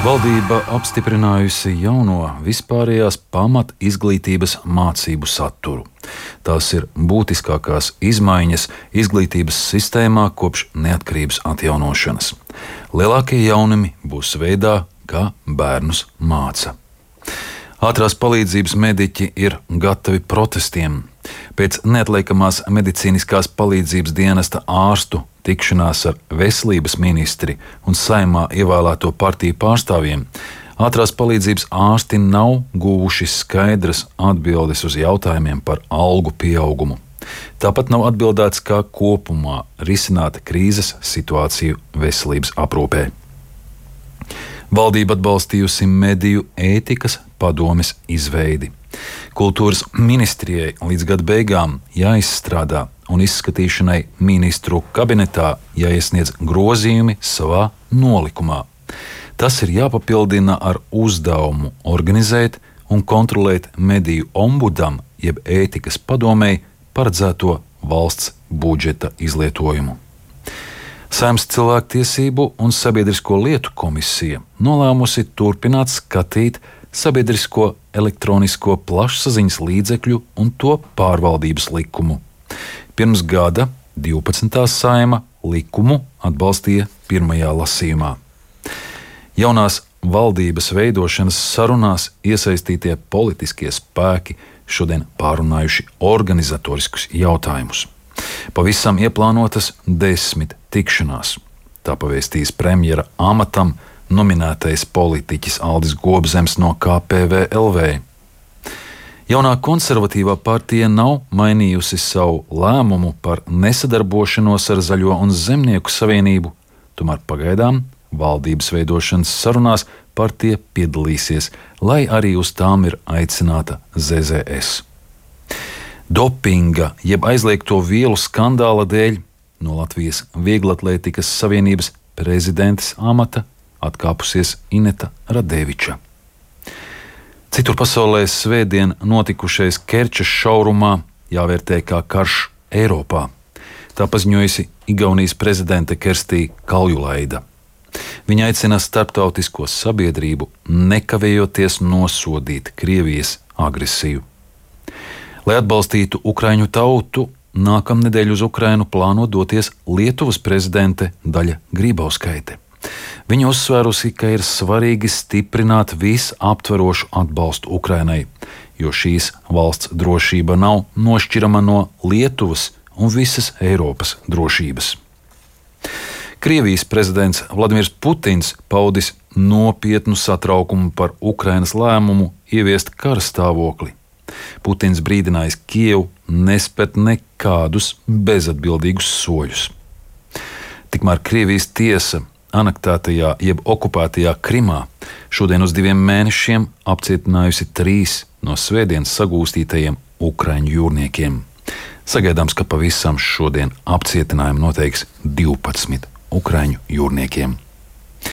Valdība apstiprinājusi jauno vispārējās pamat izglītības mācību saturu. Tās ir būtiskākās izmaiņas izglītības sistēmā kopš neatkarības atjaunošanas. Lielākie jaunumi būs veidā, kā bērnus māca. Ātrās palīdzības mediķi ir gatavi protestiem. Pēc neatliekamās medicīniskās palīdzības dienesta ārstu tikšanās ar veselības ministri un Saeimā ievēlēto partiju pārstāvjiem, ātrās palīdzības ārsti nav guvuši skaidras atbildes uz jautājumiem par algu pieaugumu. Tāpat nav atbildēts, kā kopumā risināt krīzes situāciju veselības aprūpē. Valdība atbalstījusi mediju ētikas padomes izveidi. Kultūras ministrijai līdz gada beigām jāizstrādā un izskatīšanai ministru kabinetā jāiesniedz grozījumi savā nolikumā. Tas ir jāpapildina ar uzdevumu organizēt un kontrolēt mediju ombudam jeb ētikas padomei paredzēto valsts budžeta izlietojumu. Saeimas cilvēktiesību un sabiedrisko lietu komisija nolēmusi turpināt skatīt sabiedrisko elektronisko plašsaziņas līdzekļu un to pārvaldības likumu. Pirms gada 12. Saeima likumu atbalstīja pirmajā lasījumā. Jaunās valdības veidošanas sarunās iesaistītie politiskie spēki šodien pārunājuši organizatoriskus jautājumus. Pavisam ieplānotas 10 tikšanās. Tā pavēstīs premjera amatam nominētais politiķis Aldis Gobzems no KPVLV. Jaunā konservatīvā partija nav mainījusi savu lēmumu par nesadarbošanos ar Zaļo un Zemnieku savienību, tomēr pagaidām valdības veidošanas sarunās partija piedalīsies, lai arī uz tām ir aicināta ZZS. Dopinga jeb aizliegto vielu skandāla dēļ no Latvijas Vieglatlētikas savienības prezidentes amata atkāpusies Ineta Radeviča. Citur pasaulē svētdien notikušais Kerčes šaurumā jāvērtē kā karš Eiropā. Tā paziņojusi Igaunijas prezidente Kerstī Kaljulaida. Viņa aicina starptautisko sabiedrību nekavējoties nosodīt Krievijas agresiju. Lai atbalstītu Ukraiņu tautu, nākamnedēļ uz Ukrainu plāno doties Lietuvas prezidente Daļa Grībauskaite. Viņa uzsvērusi, ka ir svarīgi stiprināt visaptverošu atbalstu Ukrainai, jo šīs valsts drošība nav nošķirama no Lietuvas un visas Eiropas drošības. Krievijas prezidents Vladimirs Putins paudis nopietnu satraukumu par Ukrainas lēmumu ieviest kara stāvokli. Putins brīdinājis Kijevu nespēt nekādus bezatbildīgus soļus. Tikmēr Krievijas tiesa anektētajā jeb okupētajā Krimā šodien uz 2 mēnešiem apcietinājusi 3 no svētdienas sagūstītajiem ukraiņu jūrniekiem. Sagaidāms, ka pavisam šodien apcietinājumu noteiks 12 ukraiņu jūrniekiem.